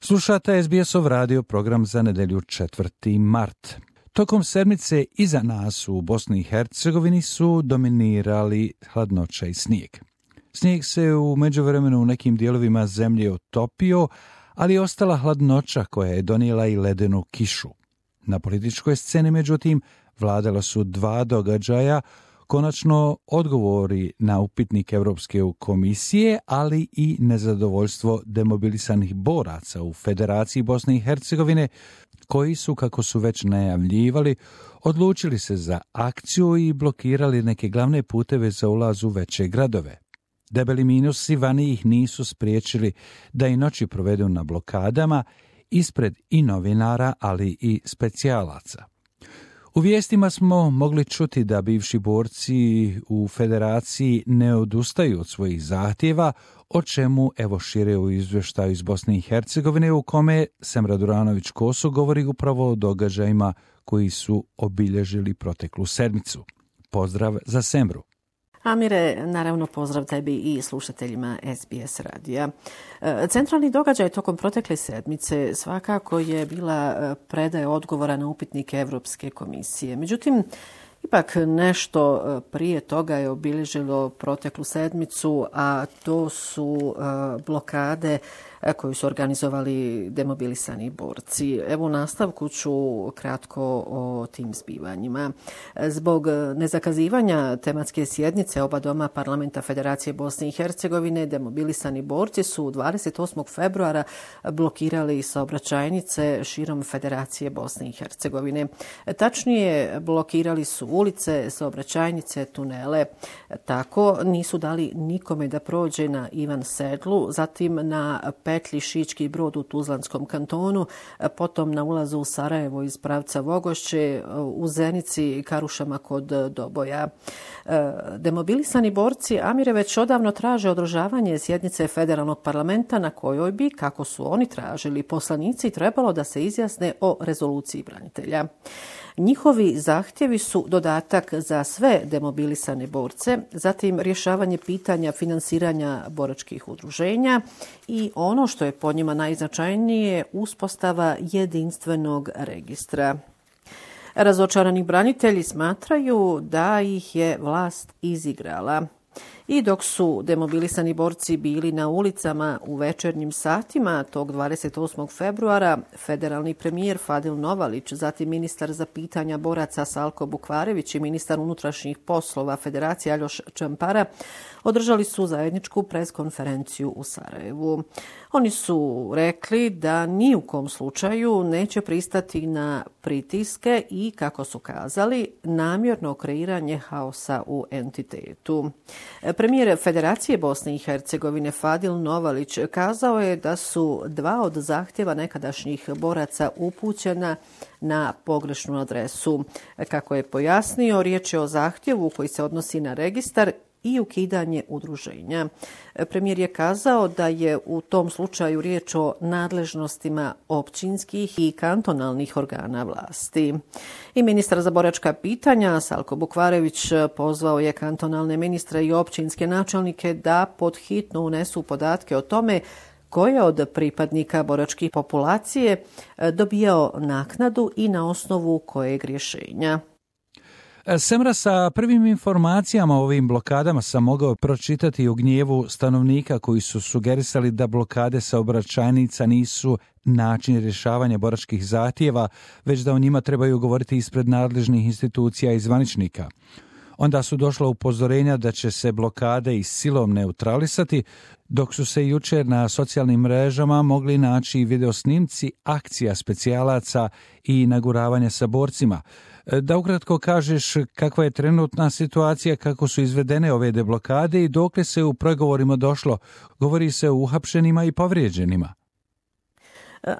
Slušate SBS-ov radio program za nedjelju 4. mart. Tokom sedmice iza nas u Bosni i Hercegovini su dominirali hladnoća i snijeg. Snijeg se u međuvremenu u nekim dijelovima zemlje otopio, ali je ostala hladnoća koja je donijela i ledenu kišu. Na političkoj sceni, međutim, vladala su dva događaja, konačno odgovori na upitnik Europske komisije, ali i nezadovoljstvo demobilisanih boraca u Federaciji Bosne i Hercegovine, koji su, kako su već najavljivali, odlučili se za akciju i blokirali neke glavne puteve za ulaz u veće gradove. Debeli minusi vani ih nisu spriječili da i noći provedu na blokadama ispred i novinara, ali i specijalaca. U vijestima smo mogli čuti da bivši borci u Federaciji ne odustaju od svojih zahtjeva, o čemu evo šire u izvještaju iz Bosne i Hercegovine, u kome Semra Duranović-Koso govori upravo o događajima koji su obilježili proteklu sedmicu. Pozdrav za Semru. Amire, naravno pozdrav tebi i slušateljima SBS radija. Centralni događaj tokom protekle sedmice svakako je bila predaja odgovora na upitnike Europske komisije. Međutim, ipak nešto prije toga je obilježilo proteklu sedmicu, a to su blokade koju su organizovali demobilisani borci. Evo u nastavku ću kratko o tim zbivanjima. Zbog nezakazivanja tematske sjednice oba doma Parlamenta Federacije Bosne i Hercegovine, demobilisani borci su 28. februara blokirali saobraćajnice širom Federacije Bosne i Hercegovine. Tačnije, blokirali su ulice, saobraćajnice, tunele. Tako nisu dali nikome da prođe na Ivan Sedlu, zatim na petlji Šički Brod u Tuzlanskom kantonu, potom na ulazu u Sarajevo iz pravca Vogošće, u Zenici, Karušama kod Doboja. Demobilisani borci, Amire, već odavno traže održavanje sjednice federalnog parlamenta na kojoj bi, kako su oni tražili, poslanici trebalo da se izjasne o rezoluciji branitelja. Njihovi zahtjevi su dodatak za sve demobilisane borce, zatim rješavanje pitanja finansiranja boračkih udruženja i ono što je po njima najznačajnije, uspostava jedinstvenog registra. Razočarani branitelji smatraju da ih je vlast izigrala. I dok su demobilisani borci bili na ulicama u večernjim satima tog 28. februara, federalni premijer Fadil Novalić, zatim ministar za pitanja boraca Salko Bukvarević i ministar unutrašnjih poslova Federacije Aljoš Čampara održali su zajedničku preskonferenciju u Sarajevu. Oni su rekli da ni u kom slučaju neće pristati na pritiske i, kako su kazali, namjerno kreiranje haosa u entitetu. Premijer Federacije Bosne i Hercegovine Fadil Novalić kazao je da su dva od zahtjeva nekadašnjih boraca upućena na pogrešnu adresu. Kako je pojasnio, riječ je o zahtjevu koji se odnosi na registar i ukidanje udruženja. Premijer je kazao da je u tom slučaju riječ o nadležnostima općinskih i kantonalnih organa vlasti. I ministar za boračka pitanja Salko Bukvarević pozvao je kantonalne ministre i općinske načelnike da pod hitno unesu podatke o tome ko je od pripadnika boračke populacije dobijao naknadu i na osnovu kojeg rješenja. Semra, sa prvim informacijama o ovim blokadama sam mogao pročitati u gnjevu stanovnika koji su sugerisali da blokade saobraćajnica nisu način rješavanja boračkih zahtjeva, već da o njima trebaju govoriti ispred nadležnih institucija i zvaničnika. Onda su došla upozorenja da će se blokade i silom neutralisati, dok su se jučer na socijalnim mrežama mogli naći videosnimci akcija specijalaca i naguravanja sa borcima. Da ukratko kažeš kakva je trenutna situacija, kako su izvedene ove deblokade i dokle se u pregovorima došlo. Govori se o uhapšenima i povrijeđenima.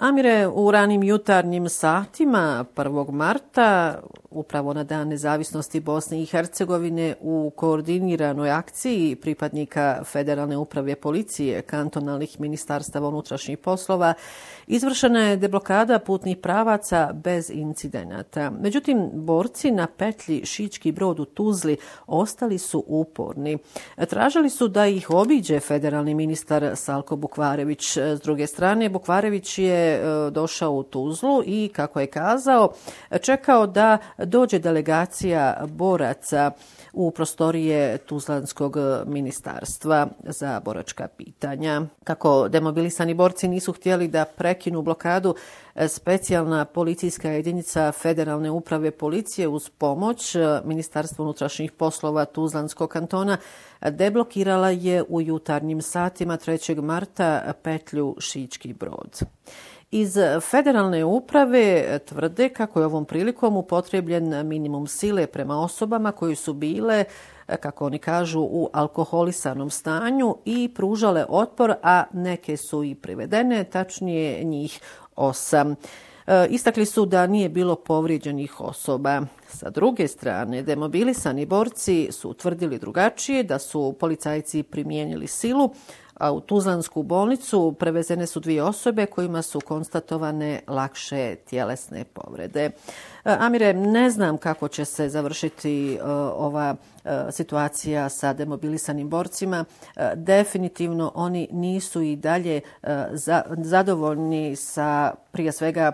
Amire, u ranim jutarnjim satima 1. marta upravo na Dan nezavisnosti Bosne i Hercegovine u koordiniranoj akciji pripadnika Federalne uprave policije, kantonalnih ministarstava unutrašnjih poslova, izvršena je deblokada putnih pravaca bez incidenata. Međutim, borci na petlji Šički Brod u Tuzli ostali su uporni. Tražili su da ih obiđe federalni ministar Salko Bukvarević. S druge strane, Bukvarević je došao u Tuzlu i, kako je kazao, čekao da dođe delegacija boraca u prostorije Tuzlanskog ministarstva za boračka pitanja. Kako demobilisani borci nisu htjeli da prekinu blokadu, specijalna policijska jedinica Federalne uprave policije uz pomoć Ministarstva unutrašnjih poslova Tuzlanskog kantona deblokirala je u jutarnjim satima 3. marta petlju Šički Brod. Iz Federalne uprave tvrde kako je ovom prilikom upotrebljen minimum sile prema osobama koji su bile, kako oni kažu, u alkoholisanom stanju i pružale otpor, a neke su i privedene, tačnije njih 8. Istakli su da nije bilo povrijeđenih osoba. Sa druge strane, demobilisani borci su utvrdili drugačije, da su policajci primijenili silu, a u Tuzlansku bolnicu prevezene su 2 osobe kojima su konstatovane lakše tjelesne povrede. Amire, ne znam kako će se završiti ova situacija sa demobilisanim borcima. Definitivno oni nisu i dalje zadovoljni sa, prije svega,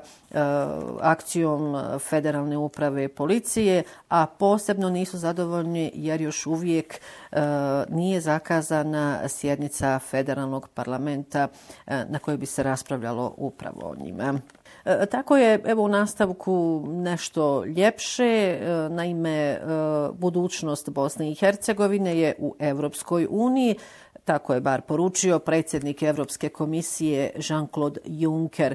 akcijom Federalne uprave policije, a posebno nisu zadovoljni jer još uvijek nije zakazana sjednica Federalnog parlamenta na kojoj bi se raspravljalo upravo o njima. Tako je, evo, u nastavku nešto ljepše. Naime, budućnost Bosne i Hercegovine je u Europskoj uniji. Tako je bar poručio predsjednik Europske komisije Jean-Claude Juncker.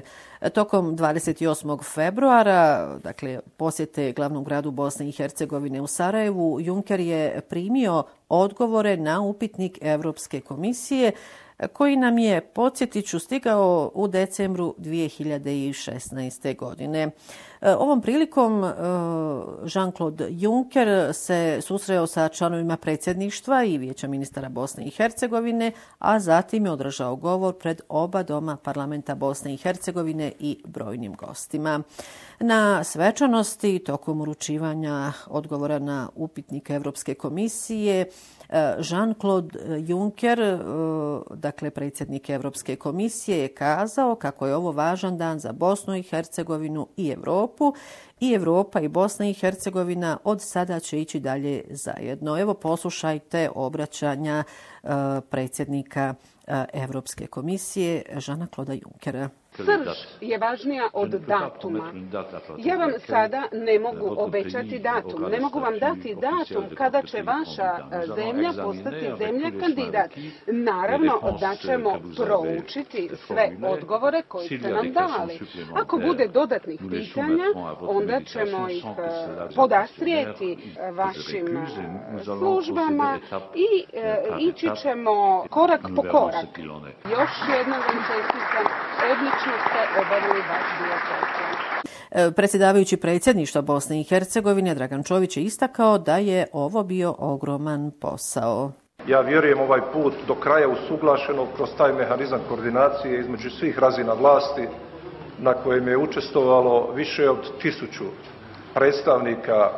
Tokom 28. februara, dakle posjete glavnom gradu Bosne i Hercegovine u Sarajevu, Juncker je primio odgovore na upitnik Europske komisije koji nam je, podsjetit ću, stigao u decembru 2016. godine. Ovom prilikom Jean-Claude Juncker se susreo sa članovima predsjedništva i Vijeća ministara Bosne i Hercegovine, a zatim je održao govor pred oba doma parlamenta Bosne i Hercegovine i brojnim gostima. Na svečanosti tokom uručivanja odgovora na upitnik Europske komisije, Jean-Claude Juncker, dakle predsjednik Europske komisije, je kazao kako je ovo važan dan za Bosnu i Hercegovinu i Europu, i Europa i Bosna i Hercegovina od sada će ići dalje zajedno. Evo, poslušajte obraćanja predsjednika Europske komisije Jeana-Claude Junckera. Srž je važnija od datuma. Ja vam sada ne mogu obećati datum. Ne mogu vam dati datum kada će vaša zemlja postati zemlja kandidat. Naravno da ćemo proučiti sve odgovore koji ste nam dali. Ako bude dodatnih pitanja, onda ćemo ih podastrijeti vašim službama i ići ćemo korak po korak. Još jednom vam čestitam, odlično ste obavili vaš dio posla. Predsjedavajući predsjedništva Bosne i Hercegovine Dragan Čović je istakao da je ovo bio ogroman posao. Ja vjerujem ovaj put do kraja usuglašeno kroz taj mehanizam koordinacije između svih razina vlasti na kojem je učestvovalo više od 1000 predstavnika,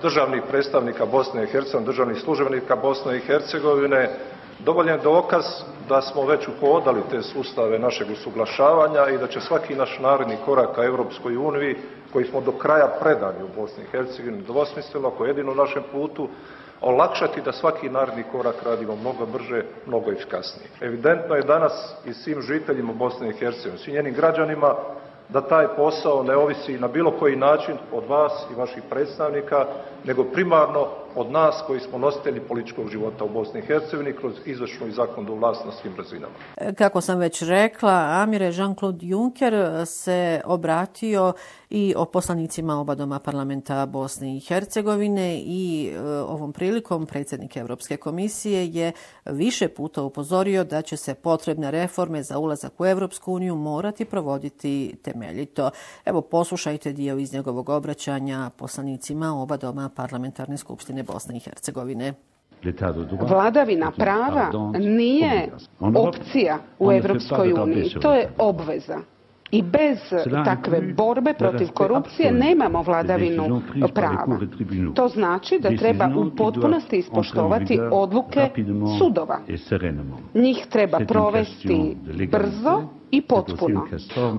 državnih predstavnika Bosne i Hercegovine, državnih službenika Bosne i Hercegovine, dovoljan dokaz da smo već uhodali te sustave našeg usuglašavanja i da će svaki naš naredni korak ka Europskoj uniji, koji smo do kraja predani u Bosni i Hercegovini, dvosmisleno, ako jedino našem putu, olakšati da svaki naredni korak radimo mnogo brže, mnogo efikasnije. Evidentno je danas i svim žiteljima Bosne i Hercegovine, svim njenim građanima, da taj posao ne ovisi na bilo koji način od vas i vaših predstavnika, nego primarno od nas koji smo nositelji političkog života u Bosni i Hercegovini kroz izvršnu i zakonodavnu vlast na svim razinama. Kako sam već rekla, Amire, Jean-Claude Juncker se obratio i o poslanicima oba doma parlamenta Bosne i Hercegovine i ovom prilikom predsjednik Europske komisije je više puta upozorio da će se potrebne reforme za ulazak u Europsku uniju morati provoditi temeljito. Evo, poslušajte dio iz njegovog obraćanja poslanicima oba doma parlamentarne skupštine Bosne i Hercegovine. Vladavina prava nije opcija u Europskoj uniji, to je obveza. I bez takve borbe protiv korupcije nemamo vladavinu prava. To znači da treba u potpunosti ispoštovati odluke sudova. Njih treba provesti brzo i potpuno.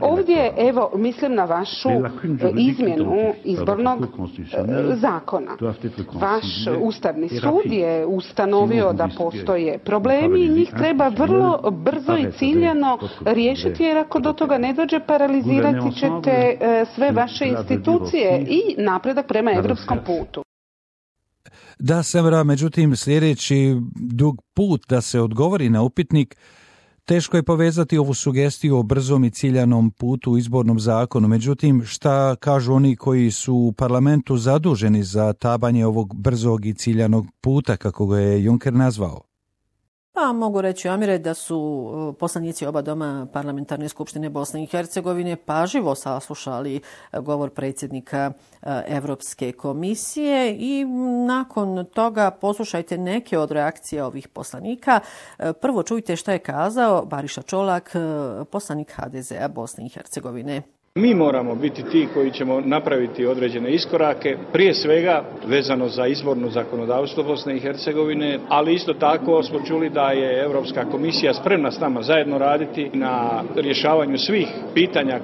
Ovdje, evo, mislim na vašu izmjenu izbornog zakona. Vaš Ustavni sud je ustanovio da postoje problemi i njih treba vrlo brzo i ciljano riješiti, jer ako do toga ne dođe, paralizirati ćete sve vaše institucije i napredak prema europskom putu. Da, Semra, međutim, sljedeći dug put da se odgovori na upitnik, teško je povezati ovu sugestiju o brzom i ciljanom putu u izbornom zakonu. Međutim, šta kažu oni koji su u parlamentu zaduženi za tabanje ovog brzog i ciljanog puta, kako ga je Juncker nazvao? Pa mogu reći, Amire, da su poslanici oba doma parlamentarne skupštine Bosne i Hercegovine pažljivo saslušali govor predsjednika Europske komisije i nakon toga poslušajte neke od reakcija ovih poslanika. Prvo čujte šta je kazao Bariša Čolak, poslanik HDZ-a Bosne i Hercegovine. Mi moramo biti ti koji ćemo napraviti određene iskorake, prije svega vezano za izborno zakonodavstvo Bosne i Hercegovine, ali isto tako smo čuli da je Europska komisija spremna s nama zajedno raditi na rješavanju svih pitanja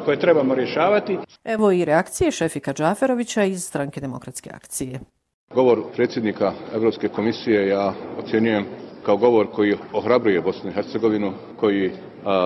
koje trebamo rješavati. Evo i reakcije Šefika Džaferovića iz Stranke demokratske akcije. Govor predsjednika Europske komisije ja ocjenjujem kao govor koji ohrabruje Bosnu i Hercegovinu, koji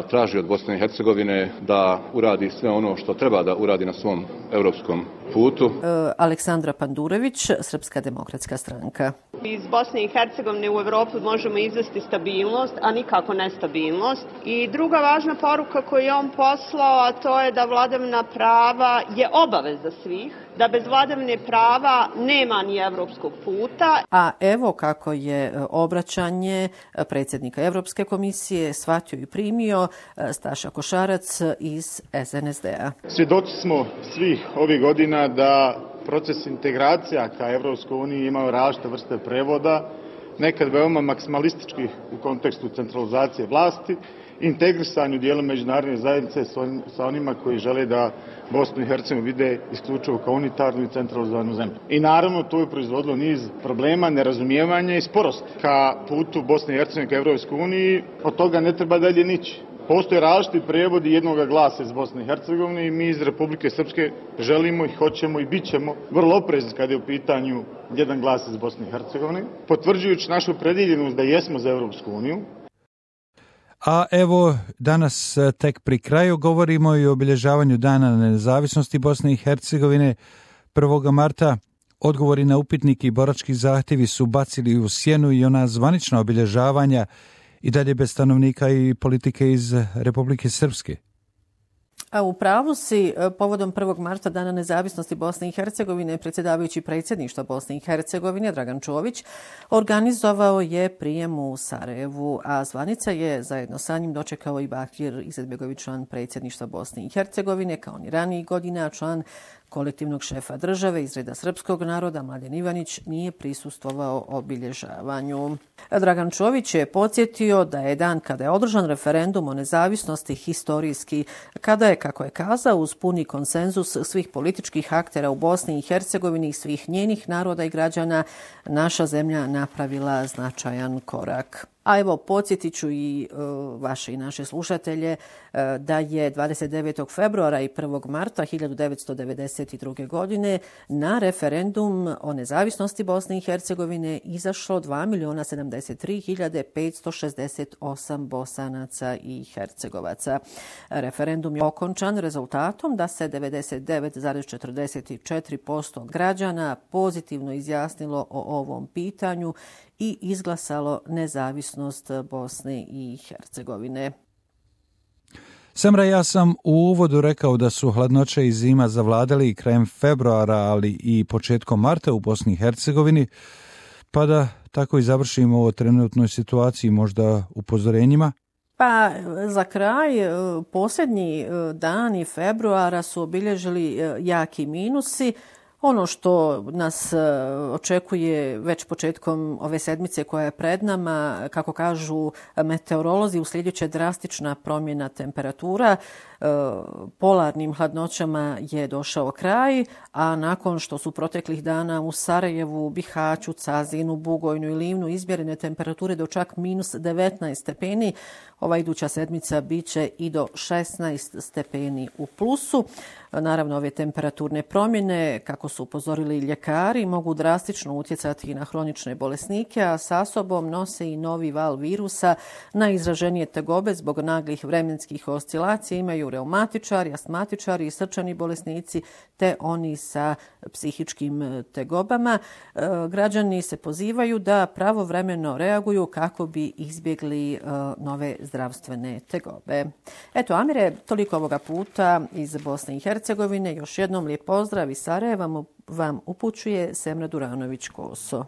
traži od Bosne i Hercegovine da uradi sve ono što treba da uradi na svom europskom putu. Aleksandra Pandurević, Srpska demokratska stranka. Iz Bosne i Hercegovine u Europu možemo izvesti stabilnost, a nikako nestabilnost. I druga važna poruka koju je on poslao, a to je da vladavina prava je obaveza svih, da bez vladavine prava nema ni europskog puta. A evo kako je obraćanje predsjednika Europske komisije shvatio i primio Staša Košarac iz SNSD-a. Svjedoci smo svih ovih godina da proces integracija ka Europskoj uniji imaju različite vrste prevoda, nekad veoma maksimalistički u kontekstu centralizacije vlasti, integrisanju dijela međunarodne zajednice sa onima koji žele da Bosnu i Hercegovinu vide isključivo kao unitarnu i centralizovanu zemlju. I naravno to je proizvodilo niz problema, nerazumijevanja i sporosti ka putu Bosne i Hercegovine ka Europskoj uniji. Od toga ne treba dalje nići. Postoje različiti prevodi jednoga glasa iz Bosne i Hercegovine i mi iz Republike Srpske želimo i hoćemo i bit ćemo vrlo oprezni kada je u pitanju jedan glas iz Bosne i Hercegovine, potvrđujući našu opredjeljenost da jesmo za Europsku uniju. A evo, danas tek pri kraju govorimo i o obilježavanju Dana nezavisnosti Bosne i Hercegovine 1. marta. Odgovori na upitnik i borački zahtjevi su bacili u sjenu i ona zvanična obilježavanja i dalje bez stanovnika i politike iz Republike Srpske. A u pravu si, povodom 1. marta Dana nezavisnosti Bosne i Hercegovine, predsjedavajući predsjedništva Bosne i Hercegovine Dragan Čović organizovao je prijem u Sarajevu, a zvanica je zajedno sa njim dočekao i Bakir Izetbegović, član predsjedništva Bosne i Hercegovine, kao ni ranijih godina, član kolektivnog šefa države iz reda srpskog naroda Mladen Ivanić nije prisustvovao obilježavanju. Dragan Čović je podsjetio da je dan kada je održan referendum o nezavisnosti historijski, kada je, kako je kazao, uz puni konsenzus svih političkih aktera u Bosni i Hercegovini i svih njenih naroda i građana, naša zemlja napravila značajan korak. A evo, podsjetit ću i vaše i naše slušatelje da je 29. februara i 1. marta 1992. godine na referendum o nezavisnosti Bosne i Hercegovine izašlo 2.073.568 Bosanaca i Hercegovaca. Referendum je okončan rezultatom da se 99,44% građana pozitivno izjasnilo o ovom pitanju i izglasalo nezavisnost Bosne i Hercegovine. Samra, ja sam u uvodu rekao da su hladnoća i zima zavladali krajem februara, ali i početkom marta u Bosni i Hercegovini, pa da tako i završimo o trenutnoj situaciji, možda upozorenjima. Pa za kraj, posljednji dani februara su obilježili jaki minusi. Ono što nas očekuje već početkom ove sedmice koja je pred nama, kako kažu meteorolozi, uslijedit će drastična promjena temperatura. Polarnim hladnoćama je došao kraj, a nakon što su proteklih dana u Sarajevu, Bihaću, Cazinu, Bugojnu i Livnu izmjerene temperature do čak minus 19 stepeni, ova iduća sedmica bit će i do 16 stepeni u plusu. Naravno, ove temperaturne promjene, kako su upozorili ljekari, mogu drastično utjecati na hronične bolesnike, a sa sobom nose i novi val virusa. Najizraženije tegobe zbog naglih vremenskih oscilacija imaju reumatičari, astmatičari i srčani bolesnici, te oni sa psihičkim tegobama. Građani se pozivaju da pravovremeno reaguju kako bi izbjegli nove zdravstvene tegobe. Eto, Amire, toliko ovoga puta iz Bosne i Hercegovine. Još jednom lijep pozdrav iz Sarajeva vam upućuje Semra Duranović-Koso.